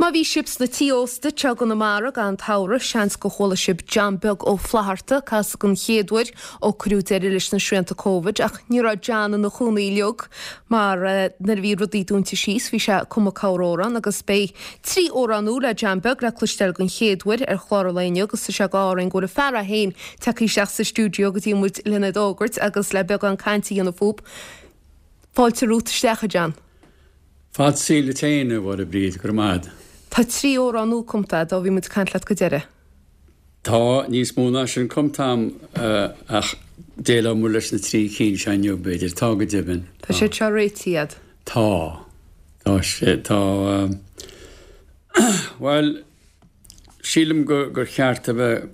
Má bhí sibh sna tí ósta anseo i gConamara i gcaitheamh an tsamhraidh, seans gur chuala sibh John Beag Ó Flatharta ag casadh den chéad uair ó cuireadh deireadh leis na srianta Covid ach ní raibh John ina chónaí uilig mar nuair a bhí rudaí dúnta síos bhí sé ag cumadh corr-amhrán agus beidh 3 amhrán úr le John Beag le cloisteáil den chéad uair ar chlár an lae inniu agus tá sé go ádh orainn go bhfuil an fear é féin tagtha isteach sa stiúideo go dtí muid lena fhógairt agus le beagán cainte a dhéanamh fúb. Fáilte romhat isteach a John. Fad saoil duit féin, a Mháire Bríd, go raibh maith agat. Tá 3 amhrán nua cumta agat ó bhí muid ag caint leat go deireadh. Tá níos mó ná sin cumta a'm ach déileoidh muid leis na 3 cinn seo inniu, b'fhéidir. Tá go deimhin. Tá siad seo réitithe a'd. Tá. Tá sé, tá, bhuel, sílim go, gur cheart a bheith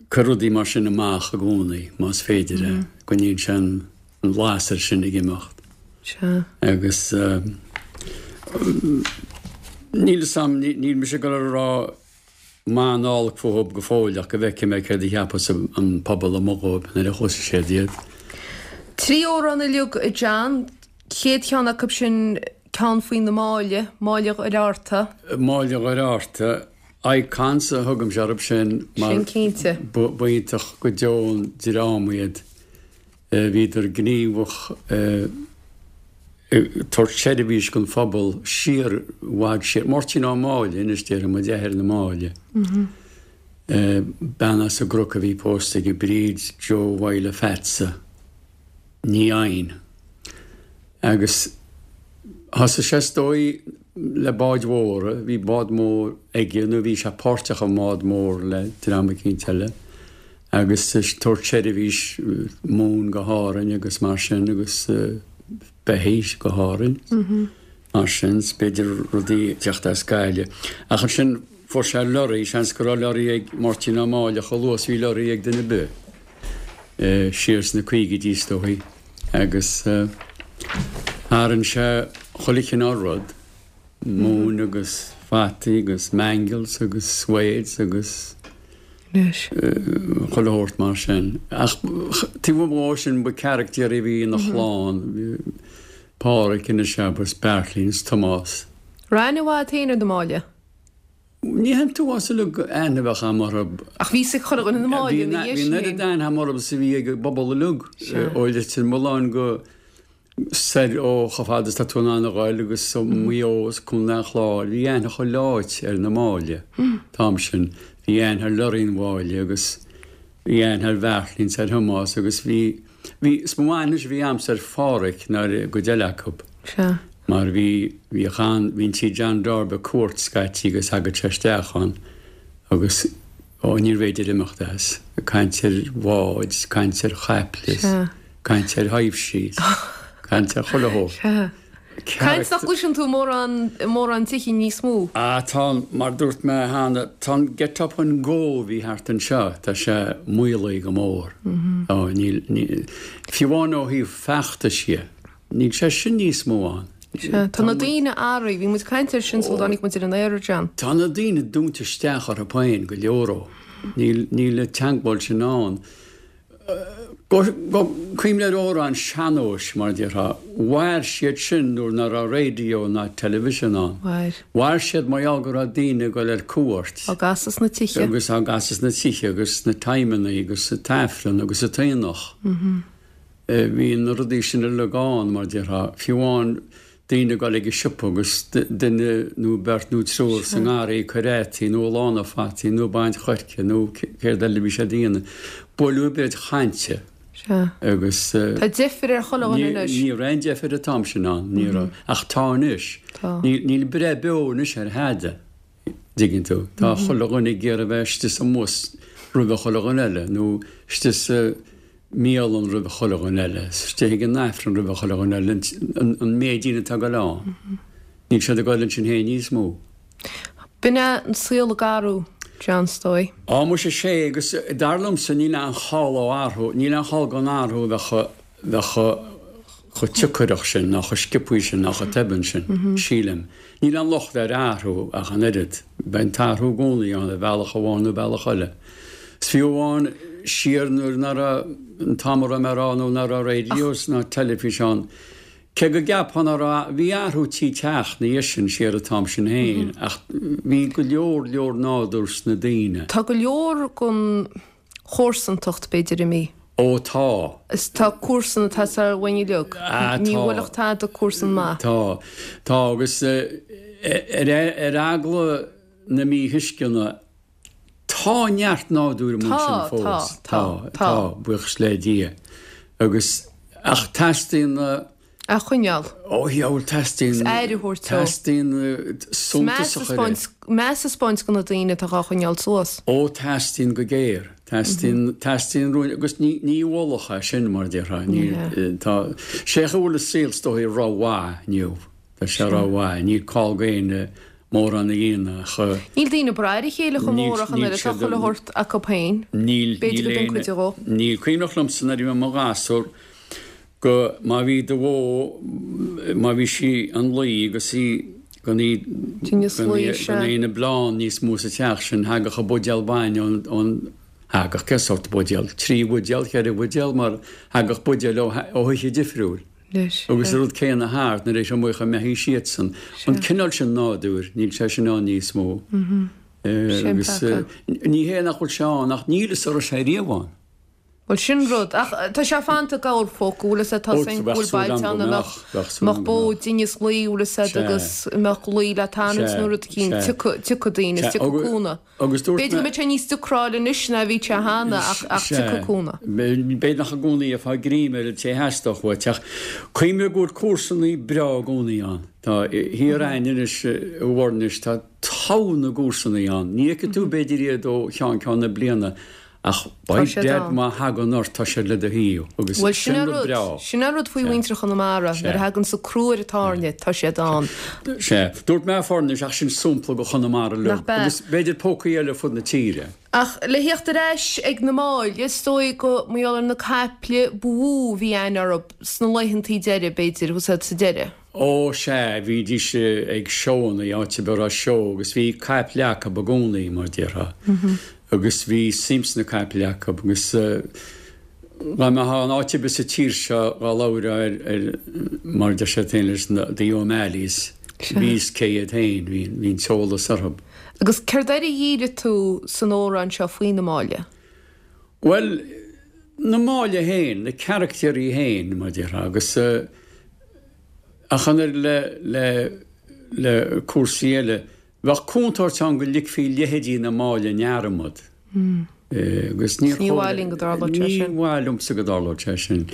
cur rudaí mar sin amach i gcónaí, más féidir é. Coinníonn sé an lasair sin ag imeacht. Sea. Agus níl fhios a'm, níl mise ag dul a rá maith ná olc fúthub go fóill ach go bhfeicfidh mé céard a cheapfas an pobal amuigh dhóibh nuair a chloisfidh siad iad. 3 amhrán uilig, a John. Chéad cheann acu sin ceann faoi na Máille, Máille Dhoire Fhearta. Máille Dhoire Fhearta, Icons a thugaimse orthu sin mar Sin cinnte. b'iontach go deo an dream iad. Bhíodar gníomhach ag tabhairt seirbhís don phobal siar, i bhfad siar. Máirtín Ó Máille anois déarfaidh muid, athair na Máille. Bean as an gCnoc a bhí pósta aige, Bríd Joe Mháille Pheatsa. Ní Eidhin. Agus thosaigh sé is dóigh le báid mhóra, bhí bád mór aige nó bhí sé páirteach i mbád mór le dream eicínt eile agus ag tabhairt seirbhís móin go hÁrainn agus mar sin agus beithígh go hÁrainn mar sin, 's b'fhéidir rudaí ag teacht as Gaillimh. Ach ansin fuair sé lorry, seans go raibh lorry ag Máirtín Ó Máille chomh luath is bhí lorry ag duine ar bith. siar sna caogaidí is dóigh agus tharraing sé chuile chineál rud, móin agus fataí agus mangels agus swedes agus chuile shórt mar sin. Ach taobh amuigh dhó sin ba caractéirí a bhí ina chlann, Páraic anois agus Beairtlín is Tomás. Raibh aithne mhaith agat féin ar na Máille? Ní an t-uafás uilig aithne a bheadh a'm orthu. Ach bhí fhios ag chuile dhuine na Máille ina dhiaidh sin. Bhí an oiread aithne a'm orthu is a bhí ag an bpobal uilig, ó Leitir Mealláin go soir ó chomh fada is tá tú in ann a ghoil agus ó Mhaigh Eo is Contae an Chláir. Bhí aithne chuile áit ar na Máille an t-am sin. Bhí aithne ar lorraí an Mháille agus bhí aithne ar Bheairtlín is ar Thomás agus bhí Bhí, is mó aithne a bhí a'msa ar Pháraic ná ar an gcuid eile acu. Sea. Mar bhí, bhíodh an, bhí an tí John Darb ag cuairt scaití agus thagadh sé isteach ann agus, ó, níorbh fhéidir imeacht as. Ag caint ar bháid, caint ar chaiple, Sea. caint ar thaibhsí, caint ar chuile shórt. Sea. Caint nach gcloiseann tú mórán, i mórán tithe níos mó. Ah, tá, mar dúirt mé cheana, tá an get up and go a bhí thart anseo, tá sé maolaithe go mór. Tá, níl, níl, fiú amháin ó thaobh feachtais dhe, níl sé sin níos mó ann. Sea, tá na daoine athraithe, bhí muid ag caint air sin sula dtáinig muid ar an aer, a John. Tá na daoine dúnta isteach orthu féin, go leor ó. Níl, níl an teagmháil sin ann. Go cuimhin ar amhráin sean-nóis, mar a déarfá. Mhair siad sin nuair ná raibh raidió ná television ann. Mhair. Mhair siad mar gheall go raibh daoine ag dul ar cuairt. Á gcasadh sna tithe. Agus á gcasadh sna tithe agus sna timeannaí agus sa t-aifreann agus sa t-aonach. Bhí na rudaí sin uilig ann, mar a déarfá. Fiú amháin daoine ag dul ag an siopa agus duine nó beirt nó triúr sa ngarraí ag cur fhataí nó ag lánú fataí nó ag baint choirce nó céard eile a bhí siad a dhéanamh. Buaileadh beirt chainte Sea. agus. Tá deifir ar chuile dhuine anois. Ní raibh aon deifir an t-am sin ann, ní raibh. Ach tá anois. Tá. Níl breith beo anois ar thada, dtuigeann tú. Tá chuile dhuine ag iarraidh bheith istigh sa mbus roimhe chuile dhuine eile nó istigh sa mbialann roimh chuile dhuine eile, istigh ag an Aifreann roimh chuile dhuine eile, an méid daoine atá ag dul ann. Níl siad ag dul ansin féin níos mó. B'in é an saol ag athrú, John, is dóigh. Á, muise, sé, agus dar liomsa níl aon chall ó athrú, níl aon chall gan athrú a bheith bheith chomh tiocaireach sin, ná chomh sciobthaí sin, ná chomh tobann sin, sílim. Níl aon locht ar athrú ach an oiread. Beidh an t-athrú i gcónaí ann ar bhealach amháin nó bealach eile. Is fiú amháin siar nuair ná raibh an t-am a raibh mé a rá nó ná raibh raidios ná teilifís ann. Cé go gceapfá nach raibh, bhí athrú tí teacht ina dhiaidh sin siar an t-am sin féin ach bhí go leor leor nádúr sna daoine. Tá go leor den chomharsantacht b'fhéidir imithe. Ó tá. Is tá comharsan atá sách uainn uilig. Ah tá. Ní bhuailfeadh tada comharsan maith. Tá. Tá agus ar eagla na míthuisceana Tá neart nádúir amuigh ansin fós. Tá, tá, tá. Tá, buíochas le Dia. Agus, ach teastaíonn na. A choinneáil. Ó, dhiabhal, teastaíonn. Is aire a thabhairt dó. Teastaíonn suntas a chur air. Meas a 'speáint do na daoine atá dhá choinneáil suas. Ó, teastaíonn go géar. Teastaíonn, teastaíonn rúin, agus ní, ní mholfá é sin, mar a déarfá. Ní, tá, sé chaoi a bhfuil an saol is dóigh rómhaith inniu. Tá sé rómhaith. Níl call go éinne mórán a dhéanamh ach. Níl daoine ag brath ar a chéile chomh mór ach an oiread, tá chuile shórt acu féin. Níl, B'fhéidir níl go b'in aon, cuid dhó. níl. Cuimhneach liomsa nuair a bhí mé i mo ghasúr go, má bhí do bhó, má bhí sí an luí agus í gan í, Tinneas gan í, luí, sea. gan aon bleán níos mó sa teach sin, thagadh an buidéal bainne ón, ón, thagadh, cén sórt buidéal? 3 bhuidéal, 4 bhuidéal mar thagadh buidéal ó, ó thithe difriúil. Leis. Agus an rud céanna thart, nuair a bhí amuigh chomh mbeithígh siadsan. An cineál sin nádúir, níl sé sin ann níos mó. Agus ní hé nach bhfuil sé ann, ach níl fhios an raibh sé riamh ann. Bhuel, sin rud. Ach tá sé fanta i gcorrphóca, bhfuil fhios a'd, tá fhios a'inn go bhfuil bailte ann a mbeadh bó i dtinneas luí, bhfuil fhios a'd, agus a mbeadh luí le tarraingt nó rud eicínt, tiocfaidh daoine, is tiocfaidh cúnamh. Agus dúirt B'fhéidir go mbeidh sé níos deacrála anois ná a bhí sé cheana ach ach tiocfaidh cúnamh. B'fhéidir nach i gcónaí a gheofá greim ar an té a theastódh uait ach cuimhnigh go bhfuil comharsanaí breá i gcónaí ann. Tá thiar a'inn anois i bhFoirnis tá togha na gcomharsanaí ann. Ní fheicfidh tú b'fhéidir iad ó cheann ceann na bliana Ach by dad má thagann ort tá siad le do thaobh agus Bhuel sin sin an rud rud, breá. sin an rud faoi mhuintir Chonamara, nuair a thagann sa crú ar an tairne, tá siad ann. Sea. Dúirt mé Foirnis ach sin sampla de Chonamara Nach uilig b'ea? agus b'fhéidir pócaí eile fud na tíre. Ach le theacht ar ais ag na Máille, is dóigh go mar gheall ar na caiple ba mhó a bhí aithne orthu sna laethantaí deiridh, b'fhéidir, thuas sa deireadh. Ó, sea, bhídís ag seóanna, áit ar bith a raibh seó, agus bhí caiple acu i gcónaí, mar a déarfá. Agus bhí suim sna caiple acu, agus dá mbeifeá in áit ar bith sa tír seo dhá labhrófá ar, ar, mar a deir siad féin leis na, the O'Malleys, bhí fhios cé hiad féin, bhí, bhí an t-eolas orthu. Agus céard air a dhírigh tú san amhrán seo faoi na Máille? Bhuel, na Máille féin, na caractéirí féin, mar a déarfá, agus ach an oiread le, le, le cúrsaí eile, bheadh contúirt ann go ligfí leithéidí na Máille i ndearmad. Agus níor Ní mhaith linn go dtarlódh sé sin. Ní mhaith liomsa go dtarlódh sé sin.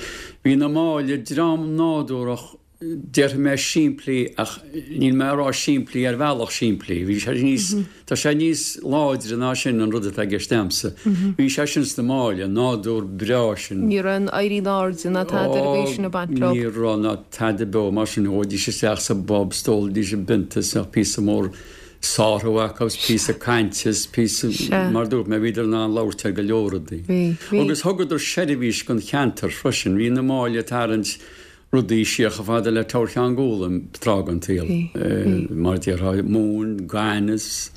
Bhí na Máille dream nádúrach Déarfaidh mé simplí ach níl mé ag rá simplí ar bhealach simplí. Bhí sé níos, tá sé níos láidre ná sin an rud atá i gceist a'msa. Bhí sé sin sna Máille, an nádúr breá sin. Ní raibh an éirí in airde ná tada ar an gcaoi sin ag baint leo. Ní raibh ná tada beo mar sin. Ghabhaidís isteach sa bpub, 's d'ólaidís a bpionta is bheadh píosa mór sártha acu is píosa cainte is píosa, mar dúirt mé, bhíodar in ann labhairt ar go leor rudaí. Agus thugadar seirbhís don cheantar freisin. Bhí na Máille ag tarraingt rudaí siar chomh fada le Teamhair Cheann Gualaim tráth den tsaol, mar a déarfá, móin, gaineamh,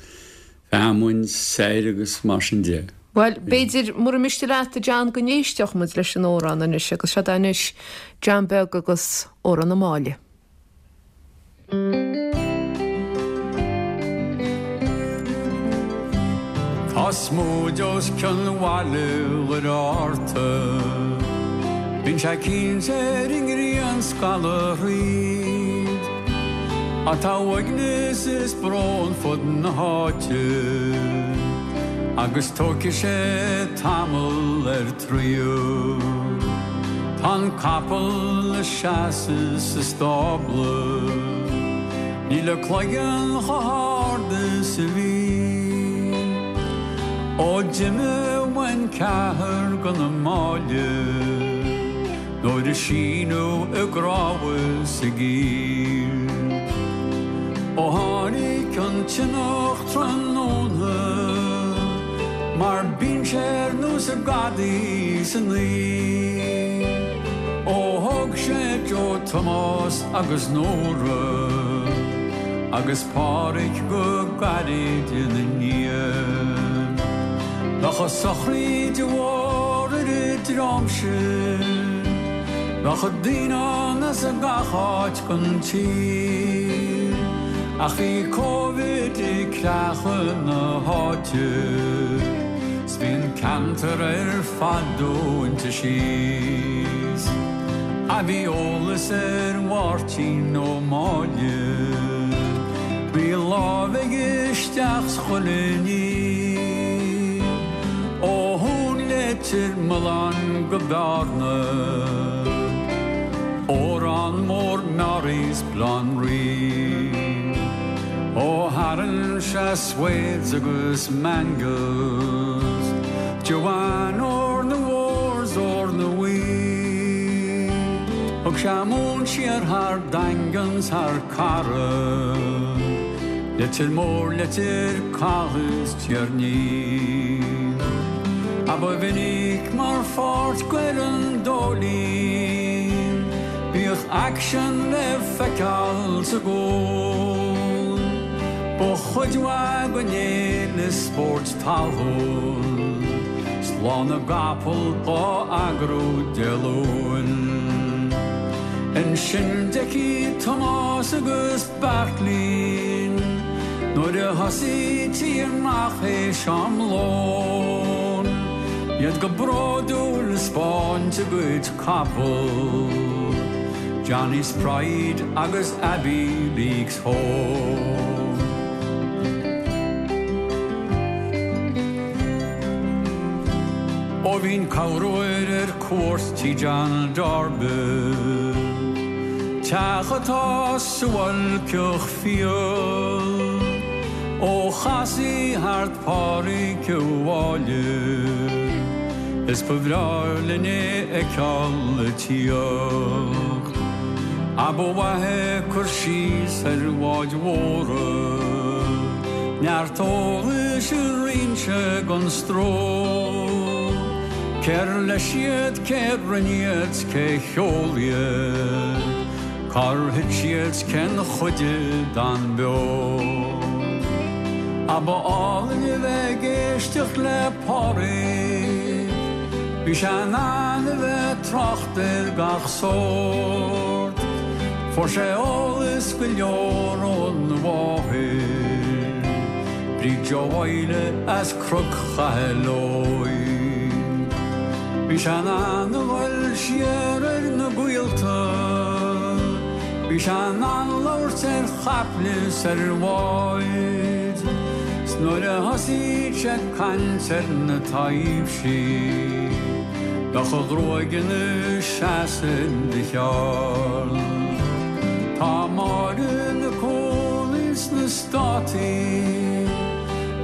feamainn, soir agus mar sin de. Bhuel, b'fhéidir, mura miste leat, a John, go n-éistfeadh muid leis an amhrán anois agus seod é anois, John Beag agus Amhrán na Máille. Tá smúid os cionn bhaile Dhoire Fhátharta. Bíonn sé cinnte ar an ngrian scalladh thríd. Ach tá uaigneas is brón fud na háite agus tógfaidh sé tamall air traochadh. Tá an capall 'na seasamh sa stábla. Níl a cloigeann chomh hard is a bhí. Ó d'imigh uainn ceathrar go na Máille nuair a síneadh i gcrámha is i gcill. Ó tháinig an tionach tráthnóna mar bíonn sé ar nós an gadaí san oíche. Ó thóg sé Joe Tomás agus Nóra agus Páraic go gairid ina ndiaidh. Bheadh an sochraíd mhór ar an dream sin. Bheadh daoine ann as gach áit den tír Ach bhí Covid ag creachadh na háite 'S bhí an ceantar ar fad dúnta síos Ach bhí eolas ar Mháirtín Ó Máille Bhí lámh aige isteach 's chuile ní Ó Thóin Leitir Mealláin go Bearna, Órán Mór Meáraí 's Baile Átha an Rí. Ó tharraing sé Swades agus Mangles, Joanne Ór na Mhór 's Ór na Bhuí. Thug sé an mhóin siar thar Daingean 's thar Carra, Leitir Móir, Leitir Cathaigh 's Tír an Fhia. Ach ba mhinic mar pháirt d'fhoireann Dóilín, bhíodh aicsean le feiceáil sa gcúl. Ba chuid mhaith den fhéile spóirt talún, 's Lá na gCapall á eagrú Dé Luain. Ansin d'fheicfí Tomás agus Beairtlín nuair a thosaítí amach théis am lóin, iad go bródúil ag 'spáint a gcuid capall, Johnny's Pride agus Abbeyleix Home. Ó bhínn corruair ar cuairt tí John Darby, teach atá suáilceach fial, ó chasaí thart Pádraic a' Bhaile, is ba bhreá linn é fheiceáil ag tíocht. Ach ba mhaith é cur síos ar bháid mhóra, neart eolais a roinn sé gan stró. Cér leis iad, cé rinne iad, 's cé sheol iad, cár thit siad, 's cén chuid a d'fhan beo. Ach ba álainn a bheith ag éisteacht le Pádraig, bhí sé in ann a bheith ag trácht ar gach sórt. Fuair sé eolas go leor óna mháthair, Bríd Joe Mhaidhle as Cnoc Chathail Óig. Bhí sé in ann a dhul siar ar na gaolta, bhí sé in ann labhairt ar chaiple 's ar bháid, 's nuair a thosaíodh sé ag caint ar na taibhsí, bheadh a ghruaig ina seasamh de cheal. Tá Máire ina cónaí sna Státaí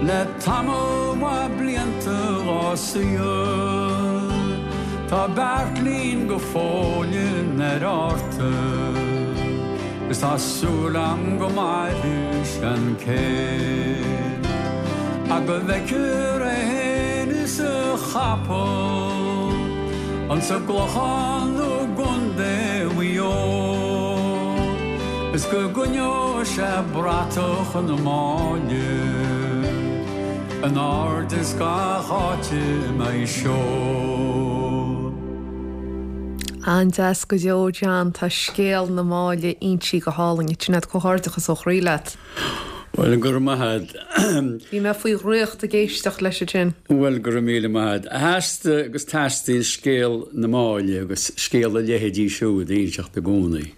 le tamall maith blianta dhá saol. Tá Beairtlín go fóill in Aerárta is tá súil a'm go mairfidh sé an céad. Ach go bhfeicfear é fhéin is a chapall ansa gClochán nó i gContae Mhaigh Eo is go gcoinneoidh sé bratach na Máille in airde is gach áit a mbeidh seó. An-deas go deo, John. Tá scéal na Máille insithe go hálainn agat. Sinéad, comhghairdeachas ó chroí leat. Bhuel, go raibh maith a'd. Bhí mé faoi dhraíocht ag éisteacht leis ansin. Bhuel, go raibh míle maith a'd. Theastaigh agus teastaíonn scéal na Máille agus scéal a leithéidí siúd a inseacht i gcónaí,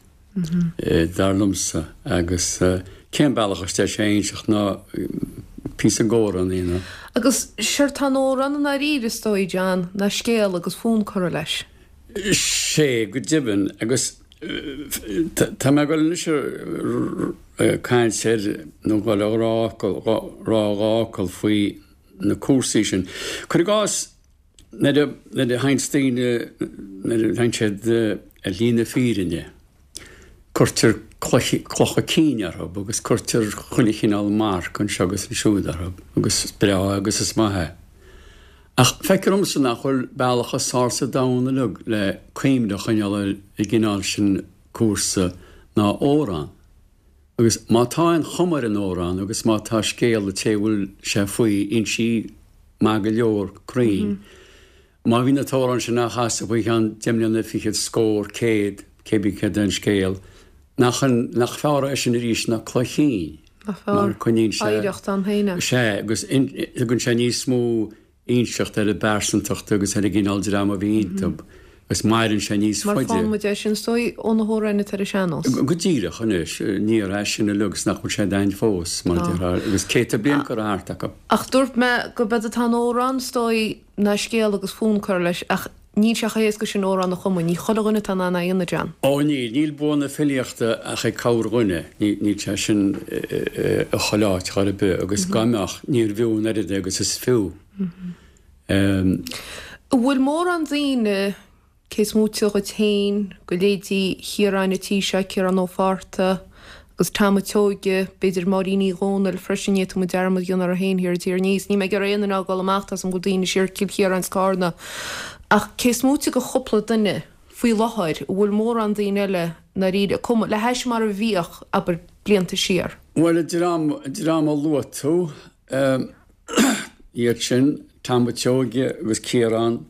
dar liomsa. Agus cén bealach is deise é a inseacht ná píosa d'amhrán a dhéanamh. Agus séard tá in amhrán i ndáiríre, is dóigh, John, ná scéal agus fonn curtha leis. Sea, go deimhin. Agus tá mé ag dul anois ag caint ar, nó ag dul a rá focal, rá dhá fhocal faoi na cúrsaí sin. Cuir i gcás, nuair a, nuair a théanns daoine, nuair a théann siad ar shlí na fírinne, cuirtear cloiche, clocha cinn orthu agus cuirtear chuile chineál marc anseo agus ansiúd orthu agus is breá agus is maith é. Ach feictear domsa nach bhfuil bealach is fearr sa domhan uilig le cuimhne a choinneáil ar an gcineál sin cúrsa ná amhrán. Agus má tá aon chuma ar an amhrán agus má tá scéal an té a bhfuil sé faoi insithe maith go leor cruinn. Má bhí na t-amhráin sin á chasadh faoi cheann deich mbliana fichead, scór, céad, cébí céard é an scéal, nach, nach fearr é sin arís ná cloich chinn? Nach fearr? Mar coinníonn sé. Oidhreacht ann féin é. Sea, agus tugann sé níos mó inseacht ar an bpearsantacht agus ar an gcineál dream a bhí iontu agus maireann sé níos faide. Mar faigheann muid é sin is dóigh ó na hamhráin atá ar an sean-nós. Go díreach anois, ní raibh sin uilig agus nach bhfuil sé againn fós, mar a déarfá, agus céadta bliain curtha thart acu. Ach dúirt mé gurb éard atá in amhrán is dóigh ná scéal agus fonn curtha leis ach níl sé chomh héasca sin amhrán a chumadh, ní chuile dhuine atá in ann é a dhéanamh, John. Ó níl, níl bua na filíochta ach ag corrdhuine, níl sé sin i chuile áit chor ar bith agus dá mbeadh, níorbh fhiú an oiread é agus is fiú. An bhfuil mórán daoine, cé is móite dhuit féin, de leithéidí Chiaráin an tí seo, Ciarán Ó Fátharta agus Tom a' tSeoighe, b'fhéidir Máirín Uí Dhomhnaill freisin, ní fhéadfadh muid dearmad a dhéanamh uirthi féin thiar i dTír an Fhia. Is níl mé ag iarraidh aon duine a fhágáil amach, tá 's agam go bhfuil daoine siar Cill Chiaráin is Cárna. Ach cé is móite de chúpla duine faoi láthair, an bhfuil mórán daoine eile ndáiríre ag cumadh, le hais mar a bhíodh, abair, blianta siar? Bhuel, an dream, an dream a luaigh tú, Iad sin, Tom a' tSeoighe agus Ciarán,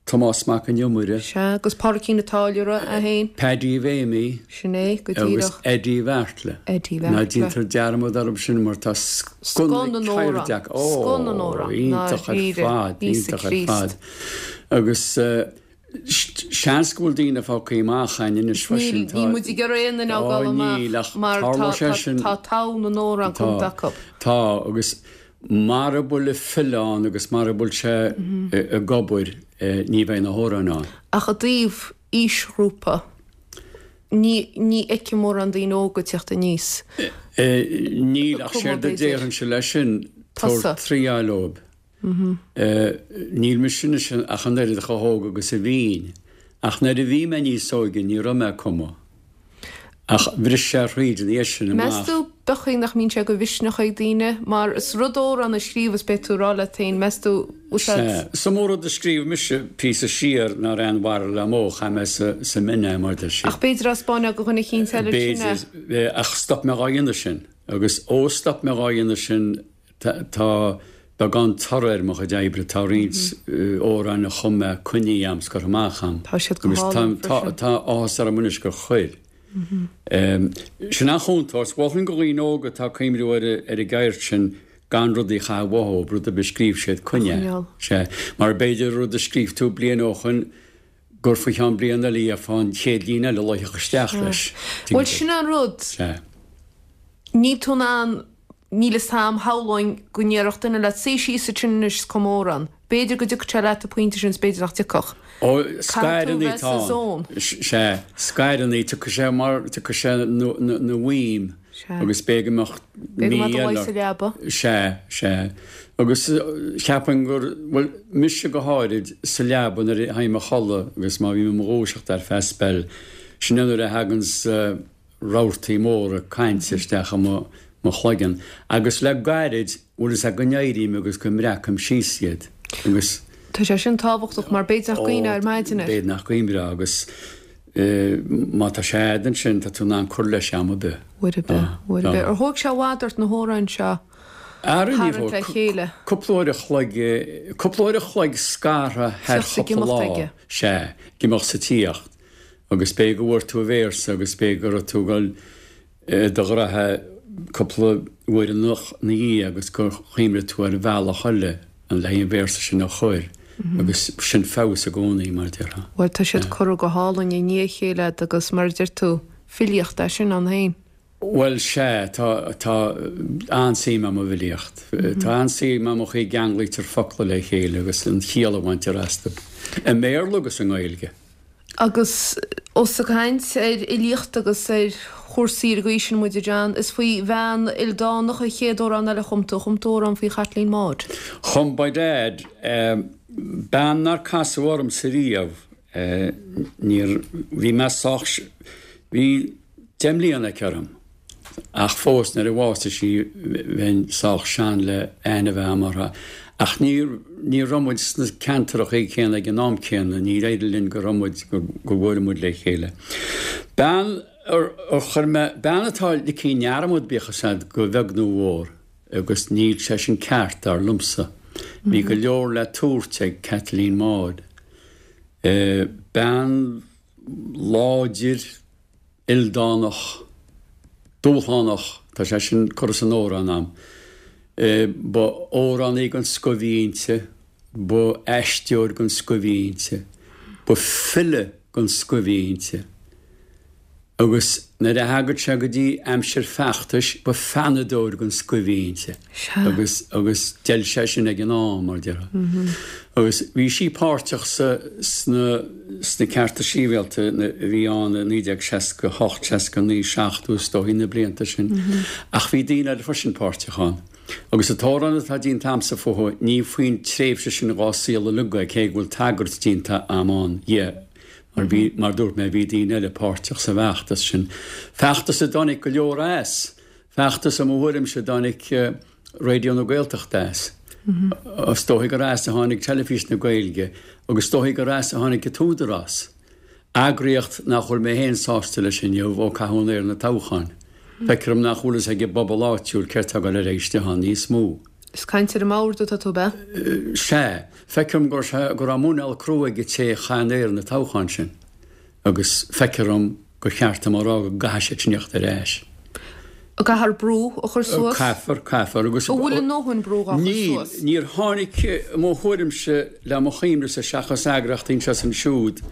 Tomás Mac an Iomaire. Sea, agus Pádraicín a' Táilliúra é féin. Paddy Mhéimí. Sin é, go díreach. Agus Eddie Bheartla. Eddie Bheartla. Ná déantar dearmad orthu sin mar tá scoth na ceirde acu. Scoth na n-amhrán. Iontach ar fad, iontach ar fad. Agus. Seans go bhfuil daoine fágtha amach againn anois freisin. Níl muid ag iarraidh aon duine a fhágáil amach mar tá togha na n-amhrán cumtha acu. Tá, agus mara bhfuil an file ann agus mara bhfuil sé ag obair ní bheidh na hamhráin ann. Ach i dtaobh aoisghrúpa, ní fheicim mórán daoine óga ag teacht aníos. Níl, ach séard a déarfainnse leis sin, tabhair triail dóibh. Níl mise anois ach an oiread chomh hóg agus a bhínn, ach nuair a bhí mé níos óige ní raibh mé ag cumadh. Ach bhris sé thríd ina dhiaidh sin amach. Meas tú b'fhéidir nach mbíonn sé de mhisneach ag daoine, mar is rud amhrán a scríobh is beidh tú ag rá leat féin, meas tú, bhfuil sé. Sea. Is iomaí rud a scríobh mise píosa siar nár aon mhaith liom ó chaith mé sa mbin é, mar deir siad. Ach b'fhéidir á spáineadh do dhuine eicínt eile ansin é. B'fhéidir, ach stop mé dhá dhéanamh sin. Agus ó stop mé dhá dhéanamh sin, Tá beagán toradh ar mo chuid oibre, tá roinnt amhráin a chum mé coinnithe a'm 's curtha amach a'm. Tá siad go hálainn freisin. Agus tá áthas orm anois gur chuir. Sin an chontúirt. Mholfainn do dhaoine óga atá ag cuimhniú ar an gceird sin gan rudaí a chaitheamh uathu, rud ar bith a scríobh siad, coinnigh é. Sea. Mar b'fhéidir rud a scríobh tú bliain ó shoin gur faoi cheann bliain eile a gheofá an chéad líne eile a luífeadh isteach leis. Bhuel, sin an rud. Sea. Níl tú in ann Níl fhios a'm, shamhlóinn go ndéarfadh duine leat, suigh síos ansin anois is cum amhrán. B'fhéidir go dtiocfadh sé leat an pointe sin is b'fhéidir nach dtiocfadh. Ó, scaireannaí atá ann. Sea, scaireannaí, tiocfaidh sé mar, tiocfaidh sé 'na mhaidhm agus b'fhéidir go mbeadh mí eile. B'fhéidir go mbeadh do luí sa leaba. Sea, sea. Agus cheapfainn gur, bhuel, mise go háirid, sa leaba nuair a théim a chodladh agus má bhím i mo dhúiseacht ar feadh speil, sin é nuair a thaganns, rabhartaí móra cainte isteach i mo chloigeann agus le gairid, bhfuil fhios agat go n-éirím agus go mbreacaim síos iad agus. Tá sé sin tábhachtach mar b'fhéidir nach gcuimhneofá ar maidin air. B'fhéidir nach gcuimhneofá agus má tá sé a'd ansin tá tú in ann cur leis am ar bith. Uair ar bith, uair ar bith. Ar thóg sé i bhfad ort na hamhráin seo a tharraingt le chéile? Cúpla uair a chloig, cúpla uair a chloig scartha thar chúpla lá, sea, ag imeacht 's ag tíocht. Agus b'fhéidir go bhfuair tú an véarsa agus b'fhéidir go raibh tú ag dul i do ghraithe cúpla uair ina dhiaidh agus gur chuimhnigh tú ar bhealach eile le an véarsa sin a chur agus sin feabhas i gcónaí, mar a déarfá. Bhuel, tá siad curtha go hálainn i ndiaidh a chéile agat agus mar a deir tú, filíocht é sin ann féin. Bhuel, sea, tá, tá an-suim a'm i bhfilíocht. Tá an-suim a'm an chaoi a gceanglaítear focla le chéile agus an chiall a bhaintear astu, i mBéarla agus i nGaeilge. Agus ós ag caint ar fhilíocht agus ar chúrsaí ar an gcaoi sin muid, a John, is faoi bhean ildánach an chéad amhrán eile a chum tú. Chum tú amhrán faoi Chaitlín Maude. Chum, by dad, bean nár casadh ormsa riamh, níor, bhí mé sách, bhí 10 mbliana aici orm, ach fós nuair a bhásaigh sí bheinn sách sean le aithne a bheith a'm uirthi. Ach ní, ní raibh muid sna ceantarachaí céanna ag an am céanna, níor éirigh linn go raibh muid, go bhfuair muid le chéile. Bean ar, ar chuir mé, bean atá ligthe i ndearmad bíodh fhios a'd go bheag nó mhór, agus níl sé sin ceart dar liomsa. Bhí go leor le tabhairt ag Caitlín Maude. Bean láidir, ildánach, dúshlánach, tá sé sin curtha san amhrán a'm. Ba amhránaí den scoth a bhí inti, ba aisteoir den scoth a bhí inti, ba file den scoth a bhí inti. Agus nuair a thagadh sé go dtí aimsir feachtais, ba pheannadóir den scoth a bhí inti. Agus, agus d'fheil sé sin ag an am, mar déarfá. Agus bhí sí páirteach sa, sna, sna cearta sibhialta a bhí ann i 1968, 69, 70, is dóigh, na blianta sin. Ach bhí daoine eile freisin páirteach ann. Agus an t-amhrán atá déanta a'msa fúithi, ní faoin tréimhse sin dhá saol uilig é, cé go bhfuil tagairt déanta a'm ann dhi. Mar bhí, mar dúirt mé, bhí daoine eile páirteach sa bhfeachtas sin. Feachtas a dtáinig go leor as. Feachtas, i mo thuairimse, a dtáinig Raidió na Gaeltachta as. Is dóigh gur as a tháinig Teilifís na Gaeilge agus is dóigh gur as a tháinig an tÚdarás. Eagraíocht nach bhfuil mé féin sásta leis inniu ó caitheadh an aer na toghcháin. Feictear dom nach bhfuil fhios ag an bpobal áitiúil céard tá ag dul ar aghaidh istigh ann níos mó. Is caint ar an mbord atá tú, ab ea? Sea. Feictear dom go raibh muineál crua ag an té a chaith an aer na toghcháin sin agus feictear dom gur cheart dom a rá go gcaithfidh siad sin theacht ar ais. Caithfear brú a chur suas? Caithfear, caithfear agus. An bhfuil a ndóthain brú á chur suas? Níl. Níor tháinig, i mo thuairimse, le mo chuimhnese seachas eagraíochtaí anseo is ansiúd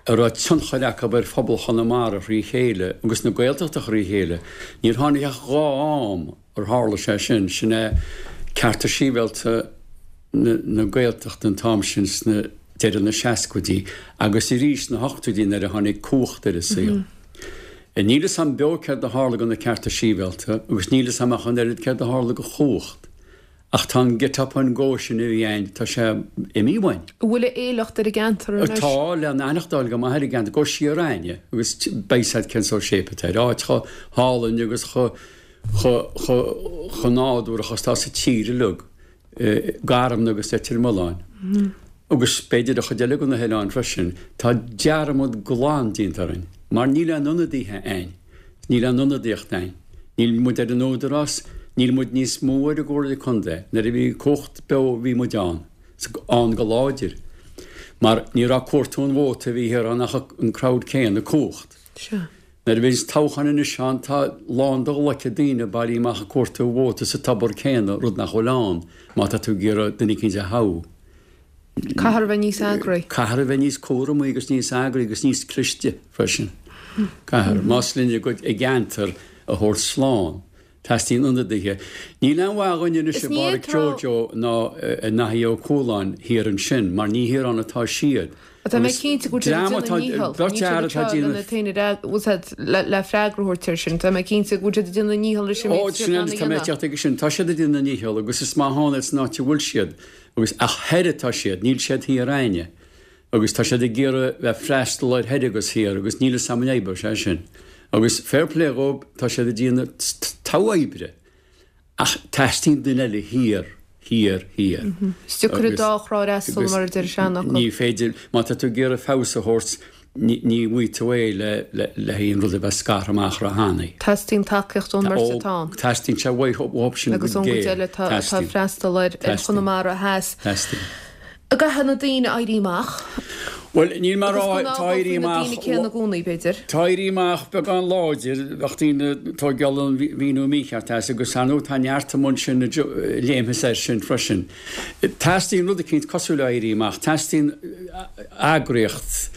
a raibh tionchar acu ar phobal Chonamara thrí chéile agus na Gaeltachta thrí chéile, níor tháinig ach 2 am ar tharla sé sin, sin é cearta sibhialta na Gaeltachta an t-am sin sna deireadh na seascaidí agus arís sna hochtóidí nuair a tháinig Cumhacht ar an saol. Níl fhios a'm beo céard a tharla go na cearta sibhialta agus níl fhios a'm ach an oiread céard a tharla go Chumhacht ach tá an get up and go sin a bhí a'inn, tá sé imithe uainn. An bhfuil a éileacht ar an gceantar anois? Tá, le n-aithneachtáil go maith ar an gceantar, go siar a'inne agus beidh 's a'd cén sórt shape atá air, áit chomh hálainn agus chomh chomh nádúrach is atá sa tír uilig, Garmna agus Leitir Mealláin, agus b'fhéidir an chuid eile de na hoileáin freisin, tá dearmad glan déanta orainn, mar níl aon ionadaithe a'inn, níl aon ionadaíocht a'inn, níl muid ar an Údarás, níl muid níos mó ar an gComhairle Contae, nuair a bhí Cumhacht beo bhí muid ann, ann go láidir, mar ní raibh ag cuartú an vóta a bhí thiar ann ach an crowd céanna, Cumhacht. Sea. Nuair a bhíonns toghchán anois ann tá lán do ghlaice daoine bailithe amach ag cuartú vóta sa tobar céanna, rud nach bhfuil ann má tá tú ag iarraidh duine eicínt a thoghadh. Caithfear a bheith níos eagraí. Caithfear a bheith níos cúramaí agus níos eagraí agus níos cliste freisin. Caithfear. Más linn a gcuid a gceantar a thabhairt slán. Teastaíonn ionadaithe. Níl aon mhaith dhúinn anois i bPádraic Joe Joe ná i nDaithí Ó Cualáin thiar ansin mar ní thiar ann atá siad. Tá mé cinnte go bhfuil siad ag déanamh a ndícheall. Níl siad anseo lena t-aon le freagra a thabhairt air sin. Tá mé cinnte go bhfuil siad ag déanamh a ndícheall leis an méid atá siad in ann a dhéanamh. Tá mé ag teacht aige sin. Tá siad ag déanamh a ndícheall agus is maith ann iad san áit a bhfuil siad agus ach thoir atá siad, níl siad thiar a'inne. Agus tá siad ag iarraidh bheith freastal ar thoir agus thiar agus níl 'fhios a'm an oibreoidh sé sin. Agus fair play dhóib, tá siad ag déanamh togha oibre ach teastaíonn duine eile thiar, thiar, thiar. Is deacair an dá thrá a fhreastal mar a deir an seanfhocal. Ní féidir, má tá tú ag iarraidh feabhas a thabhairt, ní bhfaighidh tú é le haon rud a bheith scartha amach róthanaí. Teastaíonn tacaíocht ón mbeirt atá ann. Teastaíonn sé uathu sin go géar. Agus ón gcuid eile atá ag freastal ar Chonamara Theas. Teastaíonn. An gcaithfidh na daoine éirí amach? Bhuel, níl mé a rá, tá éirí amach. Agus go n-ábhófaí na daoine céanna i gcónaí, b'fhéidir. Tá éirí amach beagán láidir, bheadh daoine ag tóigeáil an mhíniú mícheart as, agus ar ndóigh tá neart amuigh ansin a léimfeas air sin freisin. Teastaíonn rud eicínt cosúil le éirí amach, teastaíonn eagraíocht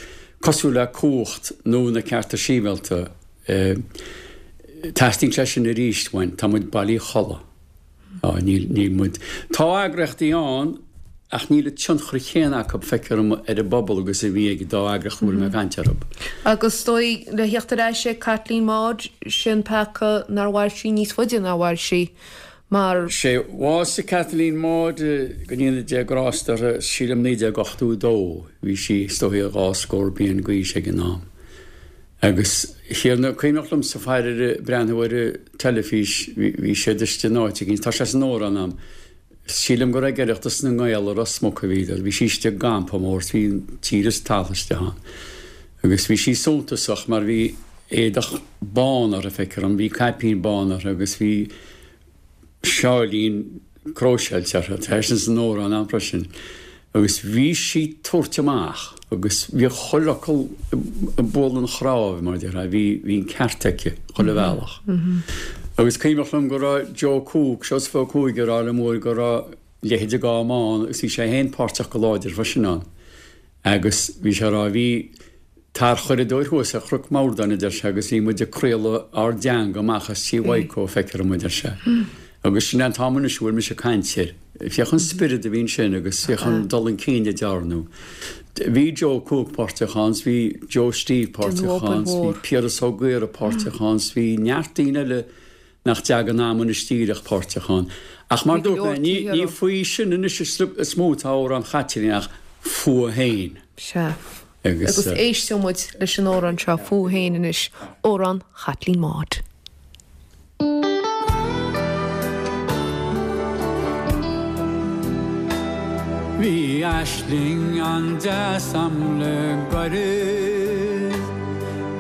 cosúil le Cumhacht nó na Cearta Sibhialta. Teastaíonn sé sin arís uainn, tá muid bailí a chodladh. Á, níl, níl muid. Tá eagraíochtaí ann ach níl an tionchar chéanna acu, feictear dom, ar an bpobal agus a bhí ag an dá eagraíocht a bhfuil mé ag caint orthu. Agus is dóigh, le theacht ar ais ag Caitlín Maude, sin peaca nár mhair sí níos faide ná mhair sí, mar. Sé, bhásaigh Caitlín Maude, go ndéana Dia grásta uirthi, sílim 1982, bhí sí, is dóigh, dhá scór bliain d'aois ag an am. Agus thiar, cuimhneach liomsa faraor ag breathnú ar an teilifís, bhí siad istigh in áit éigin, tá sé san amhrán a'm, sílim gur ag Oireachtas na nGael i Ros Muc a bhíodar, bhí sí istigh i gcampa mór, bhí an tír is talamh istigh ann. Agus bhí sí suntasach mar bhí éadach bán uirthi, feictear dom, bhí caipín bán uirthi agus bhí sáilín. cróiseáilte uirthi, tá sin san amhrán ann freisin, agus bhí sí ag tabhairt amach agus bhí chuile fhocal ag bualadh an chnámh, mar a déarfá, bhí, bhí an ceart aici chuile bhealach. Agus cuimhneach liom go raibh Joe Cooke, Seosamh Ó Cuaig ag rá liom uair go raibh leithéid de Gáma ann agus bhí sé féin páirteach go láidir freisin ann. Agus bhí sé a rá, bhí tarchuradóir thuas ar Chnoc Mordáin, a deir sé, agus bhí muid ag craoladh ár dteanga amach as Tí Mhaidhcó, feictear dom, a deir sé. Agus sin é an t-am anois a bhfuil mise ag caint air. Féach an spiorad a bhí ansin agus féach an dul chun cinn a dearnadh. Bhí Joe Cooke páirteach ann, bhí Joe Steve páirteach ann, bhí Piaras Ó Gaora páirteach ann, bhí neart daoine eile nach dtagann a'm anois díreach páirteach ann. Ach mar dúirt mé, ní, ní faoi sin anois is mó atá amhrán Chaitlín ach fúithi féin. Sea. Agus. Agus éisteoidh muid leis an amhrán seo fúithi féin anois, amhrán Chaitlín Maude. Bhí aisling an-deas a'm le gairid.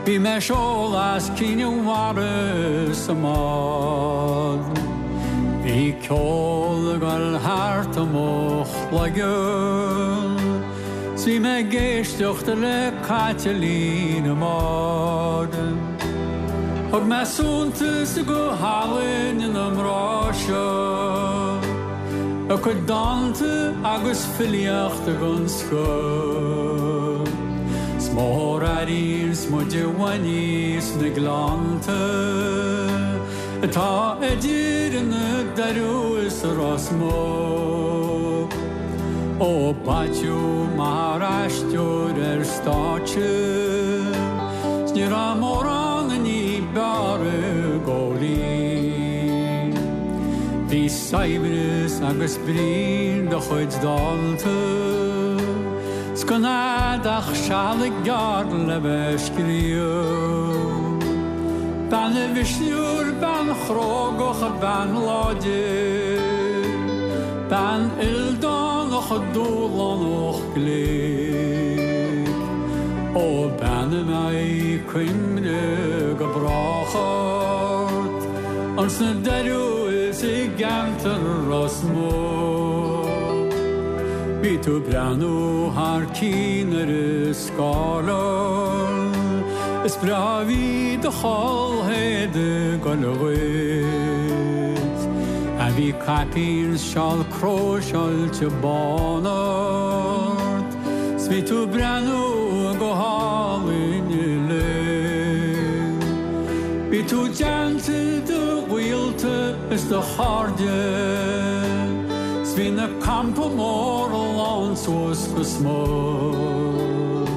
Bhí mé ag seoladh as Cinn Mhara sa mbád. Bhí ceol ag dul thart i mo chloigeann 's bhí mé ag éisteacht le Caitlín Maude. Thug mé suntas go hálainn na mná seo. A cuid dánta agus filíocht den scoth. 'S mbóthar airíonns muid i bhfad aníos na gleannta atá idir na Doirí is Ros Muc. Ó b'ait thú mar aisteoir ar stáitse 's ní raibh mórán ní b'fhearr i gCóilín. Bhí saibhreas agus brí in do chuid dánta 's gan a'd ach seal gearr le bheith ag scríobh. Bean mhisniúil, bean chrógach, bean láidir, bean ildánach dúshlánach glic. Ó bean a mbeidh cuimhne go brách ort ins na Doirí is i gceantar Ros Muc. Bhí tú ag breathnú thar cionn ar an scáileán, is breá a bhí do chulaith ag goil dhuit. A bhí caipín 's seál cróiseáilte bán ort, 's bhí tú ag breathnú go hálainn uilig. Bhí tú i dteannta do ghaolta is do chairde, 's bhí na campa mór lán suas go smut.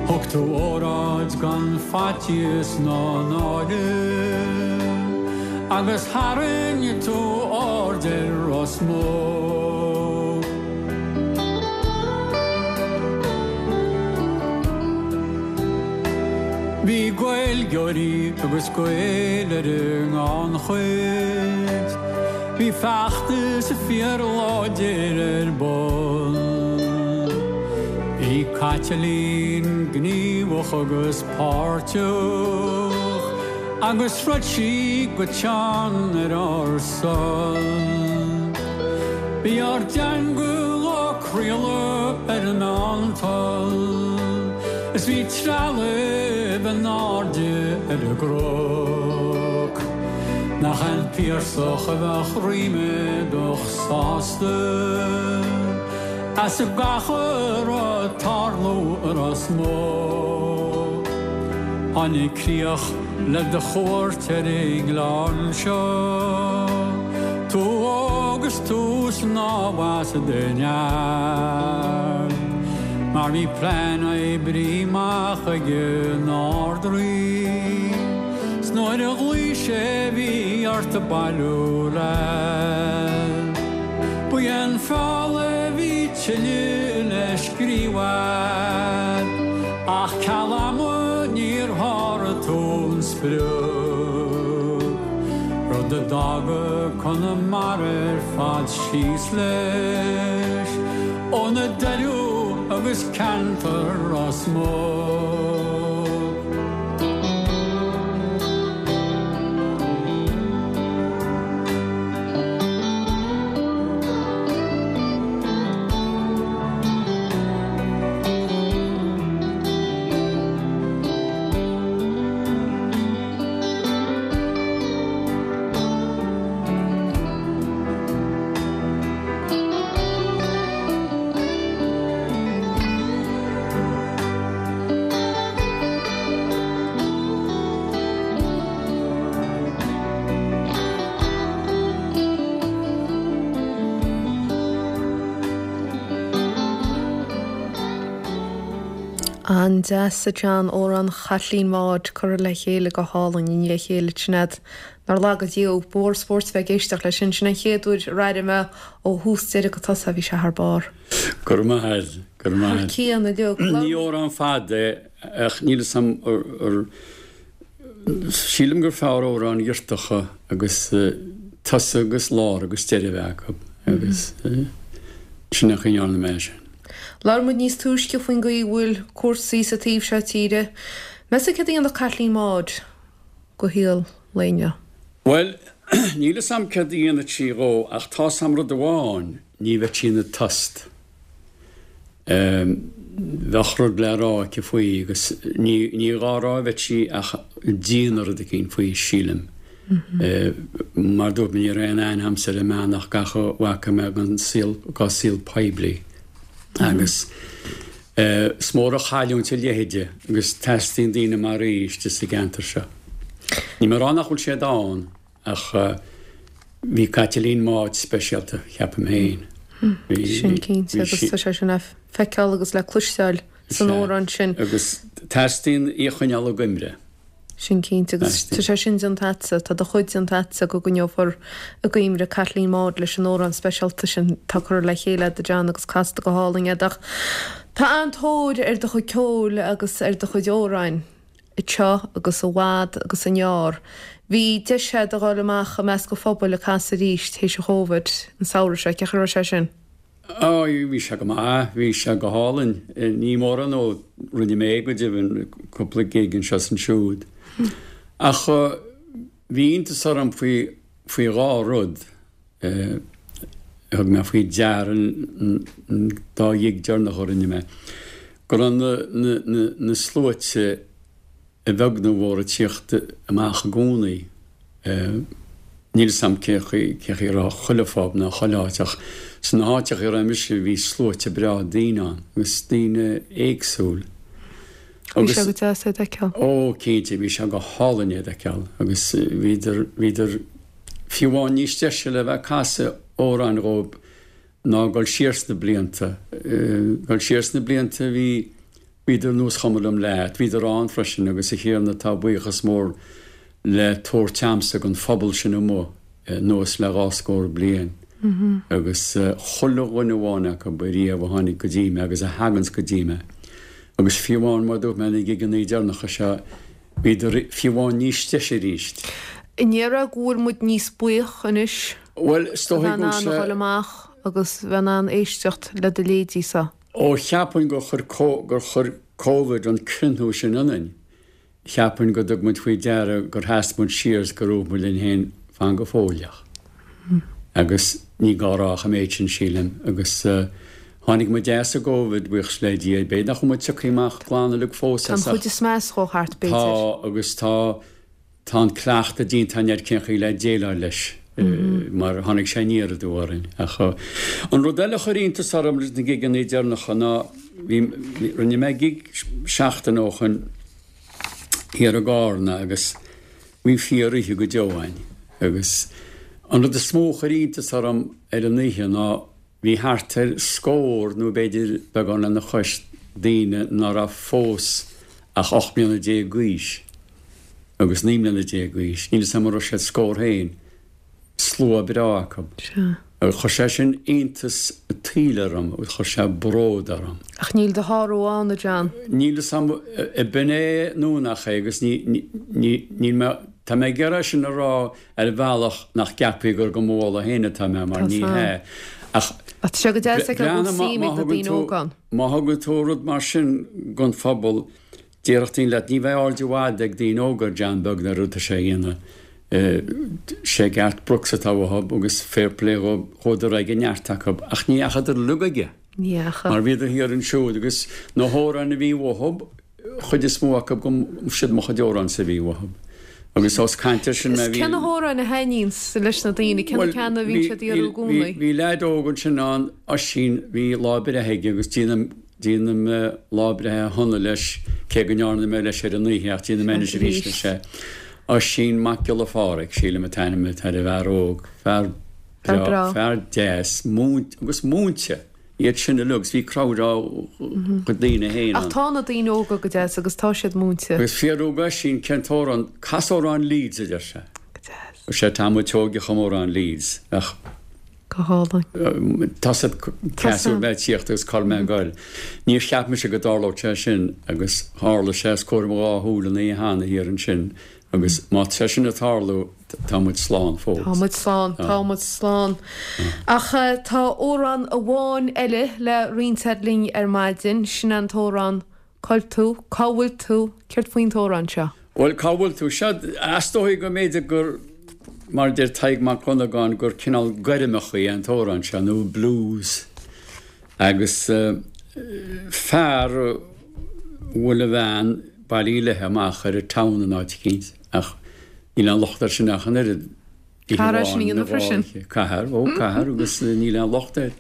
Thug tú óráid gan faitíos ná náire, agus tharraing tú aird ar Ros Muc. Bhí Gaeilgeoirí agus Gaeil ar an ngannchuid, bhí feachtas fíorláidir ar bun. Bhí Caitlín gníomhach agus páirteach agus throid sí go teann ar ár son. Bhí ár dteanga á craoladh ar an meántoll is bhí trealamh in airde ar an gcnoc. Nach an Piarsach a bheadh ríméadach sásta as gach a raibh ag tarlú i Ros Muc. Tháinig críoch le do chuairt ar an ngleann seo, tú óg is tú snámh as do neart, mar bhí plean oibre amach ag an Ard-Rí, 's nuair a ghlaoigh sé bhí ort bailiú leat. Ba é an feall a bhí tuilleadh le scríobh a'd, ach ceal ama níor sháraigh tú an sprioc, rud a d'fhága Conamara ar fad síos leis, ó na Doirí agus ceantar Ros Muc. An-deas, a John, amhrán Chaitlín Maude curtha le chéile go hálainn i ndiaidh a chéile Sinéad. Nár laga Dia thú, ba mhór spóirt bheith ag éisteacht leis sin. Sin an chéad uair ar airigh mé ó thús deireadh go tosach, bhí sé thar barr. Go raibh maith agat, go raibh maith agat. Thar cionn uilig. Ní amhrán fada é ach níl 'fhios a'm ar, sílim gur fearr amhráin ghirteacha agus tosach agus lár agus deireadh a bheith acu agus sin an chaoi a ndearna mé é sin. Labhair muid níos túisce faoin gcaoi a bhfuil cúrsaí sa taobh seo tíre. Meas tú céard a dhéanfadh Caitlín Maude go shaol lae inniu? Bhuel, níl 'fhios a'm céard a dhéanfadh sí dhó ach tá 'fhios a'm rud amháin, ní bheadh sí ina tost. Bheadh rud le rá aici faoi agus ní, ní dhá rá a bheadh sí ach ag déanamh rud eicínt faoi, sílim. Mar dúirt mé, ní raibh aon aithne a'msa ar an mbean ach gach a bhfaca mé den saol, dá saol poiblí. Agus is mór an chailliúint a leithéide agus teastaíonn daoine mar í istigh sa gceantar seo. Níl mé ag rá nach bhfuil siad ann ach bhí Caitlín Maude speisialta, cheapaim féin. Sin cinnte agus tá sé sin le feiceáil agus le cloisteáil san amhrán sin. Agus teastaíonn í a choinneáil i gcuimhne. Sin cinnte, agus tá sé sin déanta agatsa, tá do chuid déanta agatsa go gcoinneofar i gcuimhne Caitlín Maude leis an amhrán speisialta sin atá curtha le chéile agat a John agus casta go hálainn agat. Ach tá an-tóir ar do chuid ceoil agus ar do chuid amhráin anseo agus i bhfad agus i ngearr. Bhí deis agat a dhul amach i measc an phobail ag casadh arís théis an Chóvid an samhradh seo, cén chaoi a raibh sé sin? Á, bhí sé go maith, bhí sé go hálainn. Ní mórán nó rinne mé go deimhin cúpla gig anseo is ansiúd. Ach bhí iontas orm faoi, faoi dhá rud a thug mé faoi deara an dá ghig deireanach a rinne mé, go raibh na, na, na, na sluaite, a bheag nó a mhór ag tíocht amach i gcónaí. Níl 'fhios a'm cén chaoi cén chaoi a raibh chuile phub ná chuile áit ach sna háiteacha a raibh mise bhí sluaite breá daoine ann agus daoine éagsúil. Bhí sé go deas é d'fheiceáil. Ó cinnte, bhí sé go hálainn é d'fheiceáil agus bhíodar, bhíodar fiú amháin níos deise le bheith ag casadh amhráin dhóibh ná dul siar sna blianta. Dul siar sna blianta bhí, bhíodar nós chuma liom leat, bhíodar ann freisin agus a Thiarna tá buíochas mór le tabhairt a'msa don phobal sin amuigh anuas le dhá scór bliain agus chuile dhuine amháin acu ariamh a tháinig go dtí mé agus a thaganns go dtí mé agus fiú amháin mar dúirt mé na gigeannaí deireanacha seo bhíodar fiú amháin níos deise arís. An ndéarfá go bhfuil muid níos buíoch anois Bhuel, is dóigh go bhfuil sé. A bheith in ann a dhul amach agus bheith in ann éisteacht le do leithéidí sa. Ó cheapfainn gur chuir gur chuir Covid an crinniú sin ionainn. Cheapfainn go dtug muid faoi deara gur sheas muid siar is gur dhúirt muid linn féin fan go fóilleach. Agus ní gá a rá ach an méid sin, sílim. Agus tháinig muid as an gCovid, buíochas le Dia. B'fhéidir nach bhfuil muid tioctha amach glan uilig fós as ach. Tá an chuid is measa dhó thart, b'fhéidir. Tá, agus tá. Tá an cleachtadh déanta againn ar cén chaoi le déileáil leis mar tháinig sé aniar aduaidh orainn. Ach an rud eile a chuir iontas orm leis na gigeanna deireanacha ná bhí, rinne mé gig seachtain ó shoin thiar i gCarna agus bhí fíor oíche go deo againn. Agus an rud is mó a chuir iontas orm ar an oíche ná Bhí thart ar scór, nó b'fhéidir beagán lena chois, daoine ná raibh fós ach 18 mbliana d'aois agus 19 mbliana d'aois, níl 'fhios a'm an raibh siad scór féin, slua breá acu. Sea. Agus chuir sé sin iontas an tsaoil orm agus chuir sé bród orm. Ach níl do shárú ann, a John. Níl 'fhios a'm ab in é nó nach é agus ní, ní, ní, níl mé, tá mé ag iarraidh sin a rá ar bhealach nach gceapfaí gur do mo mholadh féin atá mé, mar ní hea. Ach tá sé go deas a fheiceáil go bhfuil suim ag na daoine óga ann. Má thugann tú rud mar sin don phobal, déarfadh daoine leat, ní bheidh aird i bhfad ag daoine óga ar John Beag nó ar rud atá sé a dhéanamh. Sé Garth Brooks atá uathu agus fair play dhóibh, chuadar ag a neart acu, ach ní dheachadar uilig aige. Ní dheacha. Mar bhíodar thiar ansiúd agus na hamhráin a bhí uathu, chuid is mó acu go siad mo chuid amhrán-sa a bhí uathu. Agus ós caint air sin mé bhí. Cé na hamhráin a thaitníonns leis na daoine? Cé na ceanna a bhíonn siad ag iarraidh i gcónaí? Bhí leaid óg ansin ann, Oisín, bhí lá breithe aige agus déanaim, déanaim lá breithe shona leis, cé go ndearna mé leis ar an oíche ach déanfaidh mé anois arís leis é. Oisín Mac Giolla Pháraic, sílim an t-ainm atá ar an bhfear óg, fear breá, fear deas, múinte, agus múinte! Iad sin uilig agus bhí crowd dá chuid daoine féin ann. Ach tá na daoine óga go deas agus tá siad múinte. Agus fiafraíodh Oisín cén t-amhrán, cas amhrán Leeds a deir sé. Go deas. Sé tá muid tógtha ag cumadh amhrán Leeds ach. Go hálainn. Tá siad cás mé tíocht agus cá mé goil. Níor cheap mise go dtarlódh sé sin agus tharla sé os comhair mo dhá shúil an oíche cheana thiar ansin agus má tá sé sin ag tarlú tá muid slán fós. Tá muid slán, tá muid slán. Ach tá amhrán amháin eile le roinnt a'd linn ar maidin, sin an t-amhrán Cá bhfuil tú, cá bhfuil tú, céard faoin t-amhrán seo? Bhuel, cá bhfuil tú? Sea, is dóigh go mb'fhéidir gur, mar a deir Tadhg Mac Dhonnagáin, gur cineál goirmeach é an t-amhrán seo, nó blues. Agus fear a bhfuil a bhean bailithe léithe amach ar an town in áit eicínt, ach níl aon locht air sin ach an oiread. Caithfear é sin a dhéanamh freisin. Caithfear, ó, caithfear agus níl aon locht air.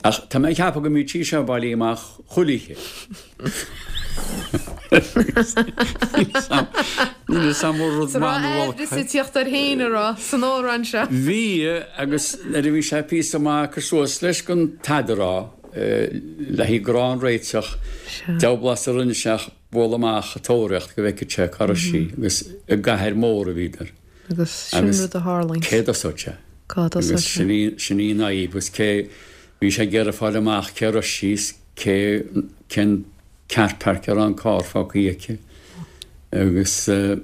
Ach tá mé ag ceapadh go mbíodh sí seo bailithe amach chuile oíche. Níl fhios a'm an rud maith nó olc. Is ag tíocht air féin a rá san amhrán seo. Bhí, agus nuair a bhí sé píosa maith ag cur suas leis gan tada a rá, le haghaidh grá an réiteach, deabhal blas a rinne sé ach bualadh amach ag tóraíocht go bhfeicfeadh sé cá raibh sí agus i gcathair mhór a bhíodar. Agus sin rud a tharlaíonn. Cé dtosódh sé? Cá dtosódh sé? Agus sin í an fhadhb agus cé, bhí sé ag iarraidh fáil amach cé raibh sí is cé, cén car park a raibh an carr fágtha aici agus an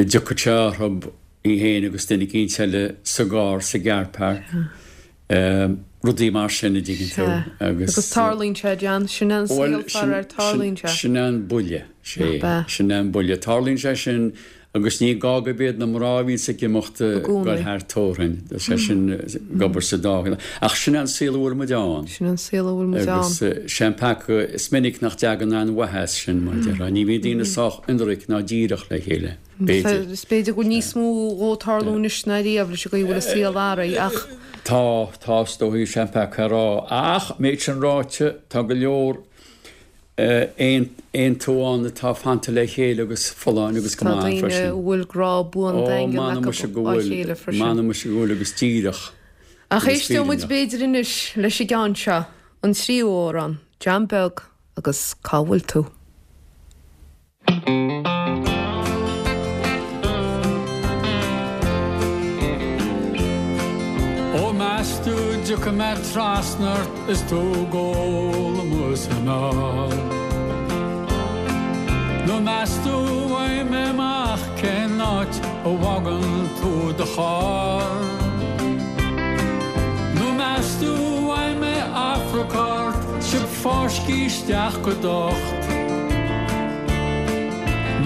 dtiocfadh sé orthu í féin agus duine eicínt eile sa gcarr sa gcar park. Rudaí mar sin a dtuigeann tú agus. Agus tarlaíonn sé, John. Sin é an saol faraor, tarlaíonn sé. Sin é an buille, sea. Sin é an buille. Tarlaíonn sé sin agus ní gá gurb iad na mná a bhíonns ag imeacht ag dul thar tórainn. Tá sé sin ag obair sa dá thaobh. Ach sin é an saol a bhfuil muid ann. Sin é an saol a bhfuil muid ann. Agus sé an peaca, is minic nach dtagann aon mhaith as sin, mar a déarfá. Ní bhíonn daoine sách ionraic ná díreach le chéile. B'fhéidir. Is b'fhéidir go bhfuil níos mó dhó tarlú anois ná riamh leis an gcaoi a bhfuil an saol athraithe ach. Tá, tá, is dóigh, sé an peaca a rá. Ach, méid sin ráite, tá go leor aontú ann atá fanta le chéile agus folláin agus go maith freisin. Tá daoine a bhfuil grá buan daingean acu dá chéile freisin. M'anam muise go bhfuil agus díreach. Ach éisteoidh muid b'fhéidir anois leis an gceann seo, an tríú amhrán, John Beag agus Cá bhfuil tú? Ó meas tú dtiocfaidh mé trasna ort is tú ag ól amuigh sa mbeár? Nó meas tú bhfaighidh mé amach cén áit a bhfágann tú do charr? Nó meas tú bhfaighidh mé afrac ort 's sibh fáiscthe isteach go docht?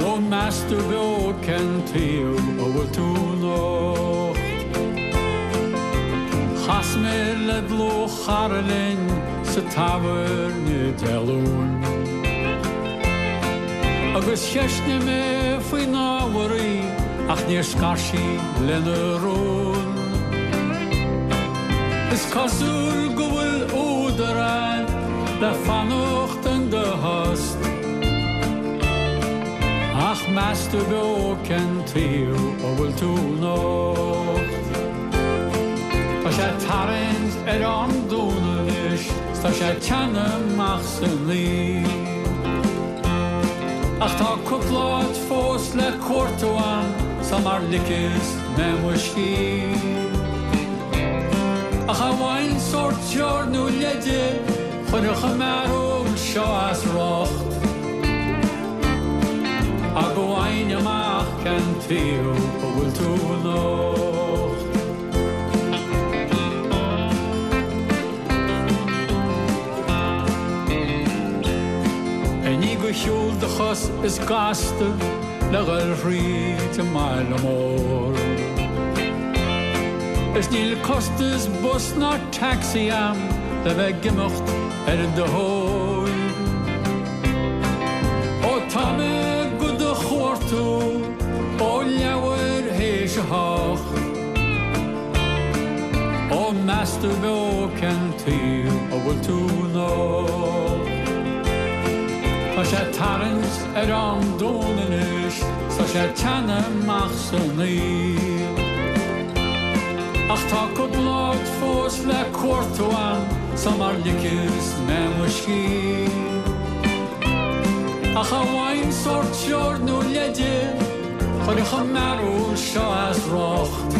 Nó meas tú beo cén taobh a bhfuil tú anocht? Chas mé le dlúthchara linn sa tábhairne Dé Luain Agus cheistnigh mé faoin ábhar í ach níor scar sí lena rún. Is cosúil go bhfuil údar a'd le fanacht in do thost. Ach meas tú beo cén taobh a bhfuil tú anocht? Tá sé ag tarraingt ar am dúnadh anois 's tá sé ag teannadh amach san ngaoth. Ach tá cúpla áit fós le cuartú a'm sula ligfeas mé mo scíth. Ach dá bhfaighinn sórt treoir nó leide Chuirfeadh an mearbhall seo as riocht. Ach go bhfaighinn amach cén taobh a bhfuil tú anocht. I ndiaidh do shiúl do chos is gasta le dhul thríd an mbaile mór. Is níl costas bus ná taxi a'm le bheith ag imeacht ar do thóir. Ó tá mé go do chuartú ó leathuair théis a hocht. Ó meas tú beo cén taobh a bhfuil tú anocht. Tá sé ag tarraingt ar am dúnadh anois 's tá sé ag teannadh amach san ngaoth. Ach tá cúpla áit fós le cuartú a'm. Tá mar lice is mé mo scíth. Ach dá bhfaighinn sórt treoir nó leide, chuirfeadh an mearbhall seo as riocht.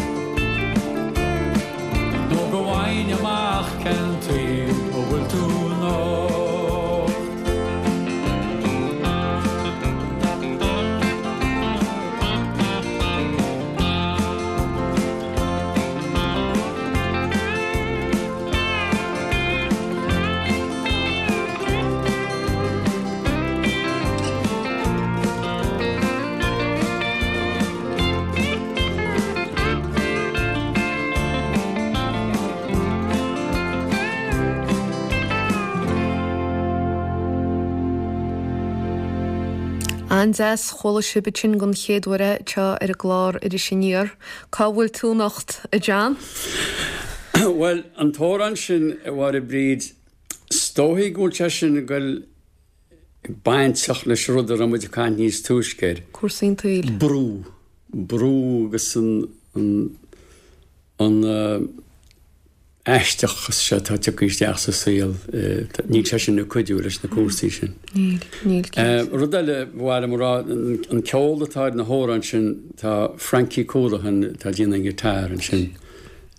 Nó go bhfaighinn amach cén taobh a bhfuil tú anocht. An-deas, chuala sibh ansin den chéad uair é anseo ar an gclár Iris Aniar. Cá bhfuil tú anocht, a John? Bhuel, an t-amhrán sin, a Mháire Bríd, is dóichí go bhfuil sé sin ag goil bainteach leis an rud a raibh muid ag caint níos túisce air. Cúrsaí an tsaoil. Brú. Brú agus an, an, an aisteachas seo atá tagtha isteach sa saol, níl sé sin ag cuidiú leis na cúrsaí sin. Níl, níl, cinnte. Rud eile ba mhaith liom a rá, an ceol atá ar na hamhráin sin, tá Frankie Coolahan atá ag déanamh an guitar ansin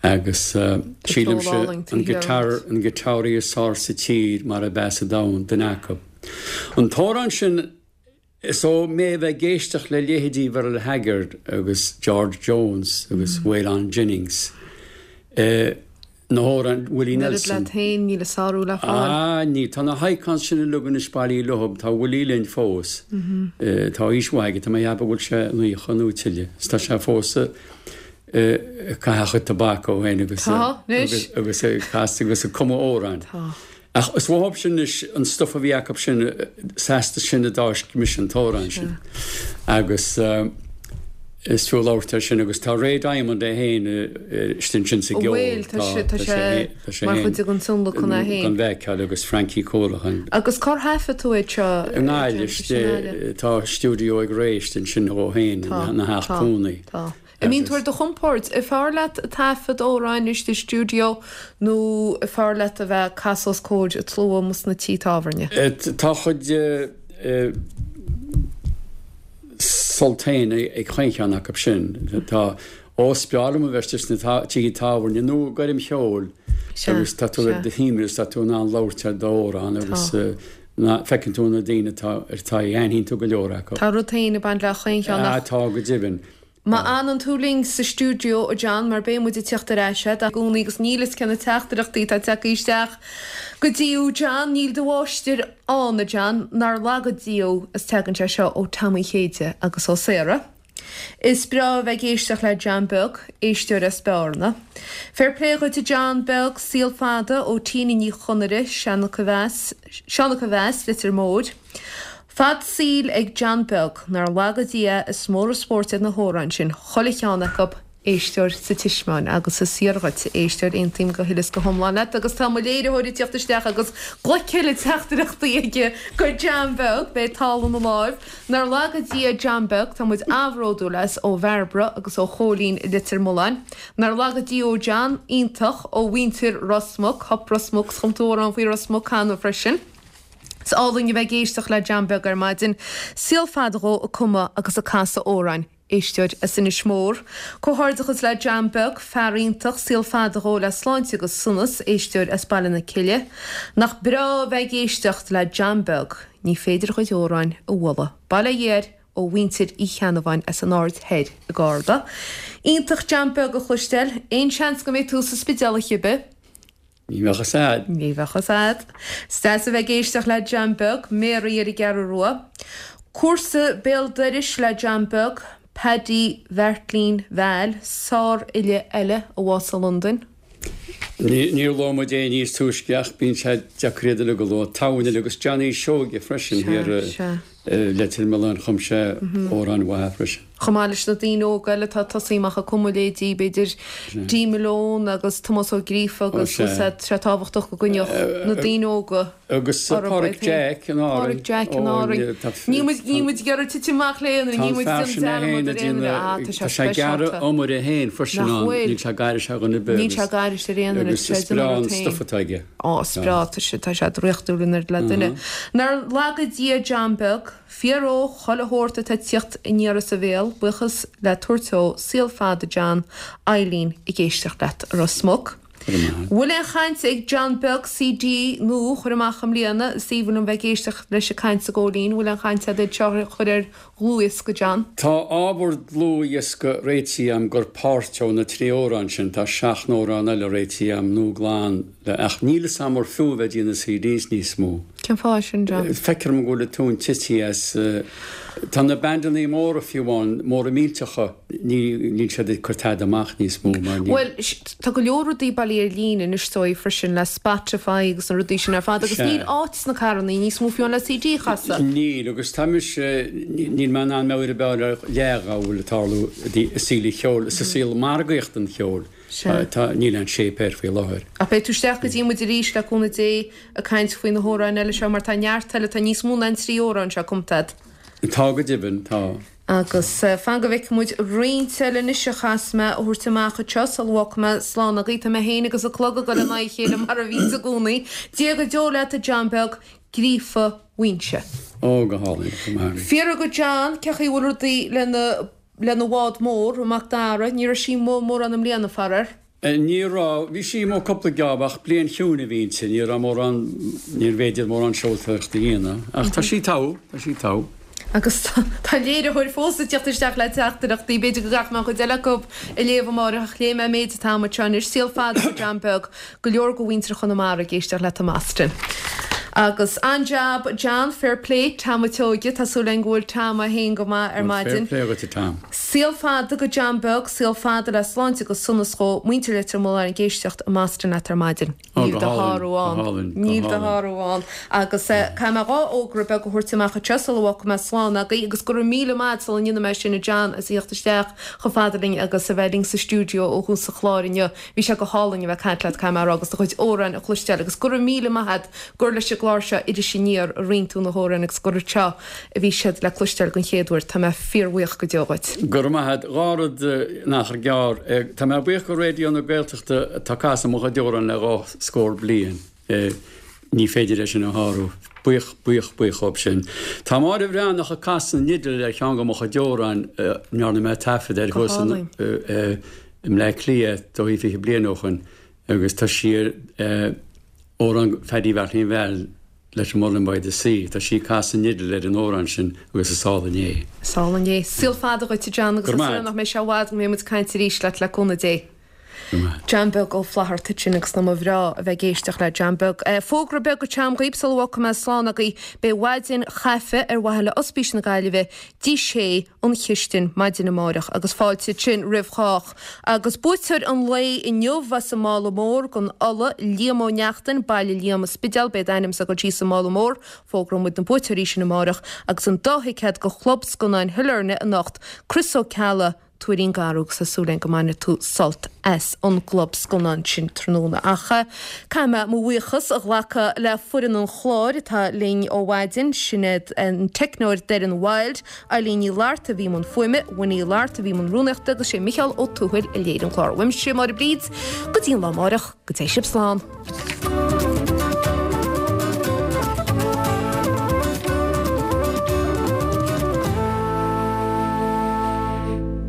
agus sílimse an guitar, an guitáraí is fearr sa tír mar ab ea sa domhan, duine acu. An t-amhrán sin, Is ó mé a bheith ag éisteacht le leithéidí Merle Haggard agus George Jones agus Waylon Jennings, na hamhráin, Willie Nelson. An oiread leat féin, níl a sárú le fáil. Ah, níl. Tá na hicons sin uilig anois bailithe leo. Tá Willie linn fós. Tá aois mhaith aige, tá mé ag ceapadh go bhfuil sé 90 nó tuilleadh. Is tá sé fós ag caitheamh a chuid tobac ó shin agus agus ag casadh agus ag cumadh amhráin. Tá. Ach is uathub sin anois an stuif a bhí acu sin, is astu sin a d'fháisc mise an t-amhrán sin. Agus is fiú labhairt air sin agus tá Ray Diamond é féin istigh ansin sa gceol. Bhuel, tá sé, tá sé mar chuid den tionlacan é féin. Gan bhfeiceáil agus Frankie Coolahan. Agus cár thaifead tú é seo? I nGaillimh, tá stiúideo ag Ray istigh ansin dhó féin ina theach cónaí. Tá, tá. An mbíonn tú ar do chompord? An fearr leat taifead amhráin istigh i stiúideo nó an fearr leat a bheith ag casadh os comhair an tslua amuigh sna tithe tábhairne? Tá a chuid sult féin ag chaon cheann acu sin. Tá, ó is breá liom a bheith istigh sna tithe tábhairne nó i gcoirm cheoil agus tá tú ar do shuaimhneas agus tá tú in ann labhairt ar d'amhrán agus feiceann tú na daoine atá ar t'aghaidh, aithníonn tú go leor acu. Tá rud féin ag baint le chaon cheann ach. Tá, go deimhin. Má fhanann tú linn sa stiúideo, a John, mar beidh muid ag tíocht ar ais i gcónaí agus níl fhios cé na teachtaireachtaí atá tagtha isteach go dtí thú, John. Níl do mháistir ann, a John, nár laga Dia thú, is tagann sé seo ó Tom Uí Chéide agus ó Sarah. Is breá a bheith ag éisteacht le John Beag, éisteoir as Bearna. Fair play dhuit a John Beag, saol fada ó Tina Ní Chonaire, Seancha Mheas, Leitir Móir. Fad saoil ag John Beag, nár laga Dia é, is mór an spórt iad na hamhráin sin, chuile cheann acu, éisteoir sa Tismeáin, agus is fíor dhuit, a éisteoir, aontaím go huile is go hiomlán leat, agus tá mo léiritheoir ag tíocht isteach agus glac eile teachtaireachtaí aige go John Beag, beidh tál ina láimh. Nár laga Dia John Beag, tá muid an-bhródúil as, ó Bhairbre agus ó Chóilín i Leitir Mealláin. Nár laga Dia thú John, iontach, ó mhuintir Ros Muc, Hup Ros Muc, 's chum tú amhrán faoi Ros Muc cheana freisin. Is álainn a bheith ag éisteacht le John Beag ar maidin. Saol fada dhó ag cumadh agus ag casadh amhráin. Éisteoir as Inis Mór. Comhghairdeachas le John Beag, fear iontach, saol fada dhó le sláinte agus sonas. Éisteoir as Baile na Cille. Nach breá a bheith ag éisteacht le John Beag. Ní féidir a chuid amhráin a bhualadh. Bail ó Dhia air ó mhuintir Uí Cheannabháin as an Aird Thoir i gCarna. Iontach John Beag a chloisteáil. Aon seans go mbeidh tú sa Spidéal oíche ar bith? Ní bheadh fhios a'd. Ní bheadh fhios a'd. Is deas a bheith ag éisteacht le John Beag, Mary ar an gCeathrú Rua. Cúrsa béal dorais le John Beag, Paddy Bheairtlín Val, sárfhile eile a bhásaigh i Londain. Níor luaigh muid é níos túisce ach bíonn sé deacair iad uilig a lua. Tamhain eile agus Johnny Seoige freisin thiar i Leitir Mealláin chum sé amhráin mhaithe freisin. Chomh maith leis na daoine óga eile atá ag tosaí amach ag cumadh leithéidí, b'fhéidir, Dee Malone agus Tomás Ó Gríofa agus tá sé tábhachtach go gcoinneodh na daoine óga Agus Pádraic Jack in Árainn. Pádraic Jack in Árainn. Níl muid, níl muid ag iarraidh titim amach le aon duine, níl muid ag déanamh dearmad ar aon duine. Ah, tá sé Tá sé ag gearradh iomaire féin freisin Nach ann, bhfuil? níl sé ag aithris ar dhuine ar bith Níl sé ag aithris ar aon duine, agus tá sé is ag breá déanamh an rud féin. stuif atá aige. Ó, is breá, tá sé, tá sé draíochtúil in oiread le duine. Nár laga Dia John Beag, fear óg chuile shórt atá ag tíocht aniar as a bhéal, buíochas le tabhairt dó, saol fada John, Eileen ag éisteacht leat i Ros Muc. Bhfuil aon chaint ag John Beag CD nua a chur amach i mbliana? Is aoibhinn liom bheith ag éisteacht leis ag caint a Ghóilín. Bhfuil aon chaint agat iad seo a chur ar dhlúthdhiosca, John? Tá ábhar dlúthdhiosca réitithe agam gur páirt ó na trí amhrán sin. Tá seacht n-amhrán eile réitithe agam nua glan le ach níl fhios agam ar fiú a bheith ag déanamh CDs níos mó. Cén fáth sin, John? Feictear dom go bhfuil an tóin tite as. Tá na bandannaí móra fiú amháin, móra millteacha, Níl siad ag cur tada amach níos mó mar níl. Bhuel, tá go leor rudaí bailithe ar líne anois is dóigh freisin le Spotify agus na rudaí sin ar fad agus níl áit sna carrannaí níos mó fiú le CD a chasadh. Níl, agus tá mise, níl mé in ann meabhair a bheith ar leath dá bhfuil ag tarlú i saol an cheoil, sa saol margaíochta an cheoil. Tá, níl aon shape air faoi láthair. Ach beidh tú isteach go dtí muid arís le cúnamh Dé ag caint faoi na hamhráin eile seo mar tá neart eile, tá níos mó ná an trí amhrán seo cumtha agat. Tá go deimhin, tá. Agus fan go bhfeicfidh muid roinnt eile anois a chaithfeas mé a thabhairt amach anseo sula bhfágfaidh mé slán agaibh. Tá mé féin agus an clog ag dul in aghaidh a chéile mar a bhíonns i gcónaí. Dia go deo leat a John Beag, Gríofa Mhuínse. Ó, go hálainn, go maith. Fiafraigh de John cén chaoi a bhfuil rudaí lena lena bhád mór, an Mac Dara. Ní raibh sí amuigh mórán i mbliana, faraor. Ní raibh. Bhí sí amuigh cúpla geábh ach bliain chiúin a bhí inti. Ní raibh mórán, níorbh fhéidir mórán seoltóireachta a dhéanamh. Ach tá sí togha, tá sí togha. Agus tá léiritheoir fós ag teacht isteach le teachtaireachtaí. B'fhéidir go gcaithfidh mé an chuid eile acu a léamh amáireach ach léigh mé an méid atá agam anseo anois. Saol fada do John Beag. Go leor de mhuintir Chonamara ag éisteacht leat i mBoston. Agus an-jab John, fair play, Tom a' tSeoighe, tá súil againn go bhfuil Tom é féin go maith ar maidin. Fair play dhuit a Tom. Saol fada go John Beag, saol fada le sláinte agus sonas dhó, muintir Leitir Mealláin ag éisteacht i mBoston leat ar maidin. Ó, Níl go do hálainn, shárú go ann. hálainn, go Níl do hálainn. shárú ann. Agus caithfidh mé dhá fhógra beag a thabhairt amach anseo sula bhfágfaidh mé slán agaibh agus go raibh míle maith sula ndéanfaidh mé sin a John as a theacht isteach chomh fada linn agus a bheith linn sa stiúideo ó thús an chláir inniu. Bhí sé go hálainn a bheith ag caint leat, caithfidh mé a rá, agus do chuid amhráin a chloisteáil agus go raibh míle maith a't gur leis an gclár seo Iris Aniar a roinn tú na hamhráin agus gur anseo a bhí siad le cloisteáil den chéad uair. Tá mé fíorbhuíoch go deo dhuit. Go raibh maith a't. Dhá rud in achar gearr. Tá mé buíoch go Raidió na Gaeltachta atá ag casadh mo chuid amhrán le dhá scór bliain. Ní féidir é sin a shárú. Buíoch, buíoch, buíoch dhóibh sin. Tá Máire Bhreathnach ag casadh an fhidil ar cheann de mo chuid amhrán a ndearna mé taifead air Go thuas in hálainn. i mBleá Cliath dóigh 20 bliain ó shoin agus tá sí ar amhrán Phaddy Bheairtlín Val leis an Mullin by the Sea. Tá sí ag casadh an fhidil ar an amhrán sin agus is álainn é. Is álainn é. Saol fada dhuit a John agus Go raibh tá maith súil agat. nach mbeidh sé i bhfad go mbeidh muid ag caint arís leat le cúnamh Dé. Go raibh maith agat. John Beag Ó Flatharta ansin agus nach mba bhreá a bheith ag éisteacht le John Beag. Fógra beag atá agam dhaoib sula bhfágfaidh mé slán agaibh. Beidh maidin chaife ar mhaithe le Ospís na Gaillimhe dtí sé an chistin maidin amáireach agus fáilte ansin roimh chách. Agus buaiteoir an lae inniu as an Mála Mór don Ola, Liam Ó Neachtain, Baile Liam, An Spidéal, beidh d'ainmse ag dul síos sa Mála Mór, fógróidh muid na buaiteoirí sin amáireach, agus an dá thicéad go Chlub Scannáin Shailearna anocht, Chris Ó Ceallaigh, Tuairín Garbh agus tá súil againn go mbainfidh tú sult as an gclub scannán sin tráthnóna. Ach caithfidh mé mo bhuíochas a ghlacadh le foireann an chláir atá linn ó mhaidin, sin iad an teicneoir Doireann Wilde, Eileen Ní Fhlatharta a bhí i mbun fuaime, Winnie Uí Fhlatharta a bhí i mbun rúnaíochta agus sé Micheál Ó Tuathail a léirigh an clár. Uaimse, Máire Bríd, go dtí an lá amáireach, go dté sibh slán.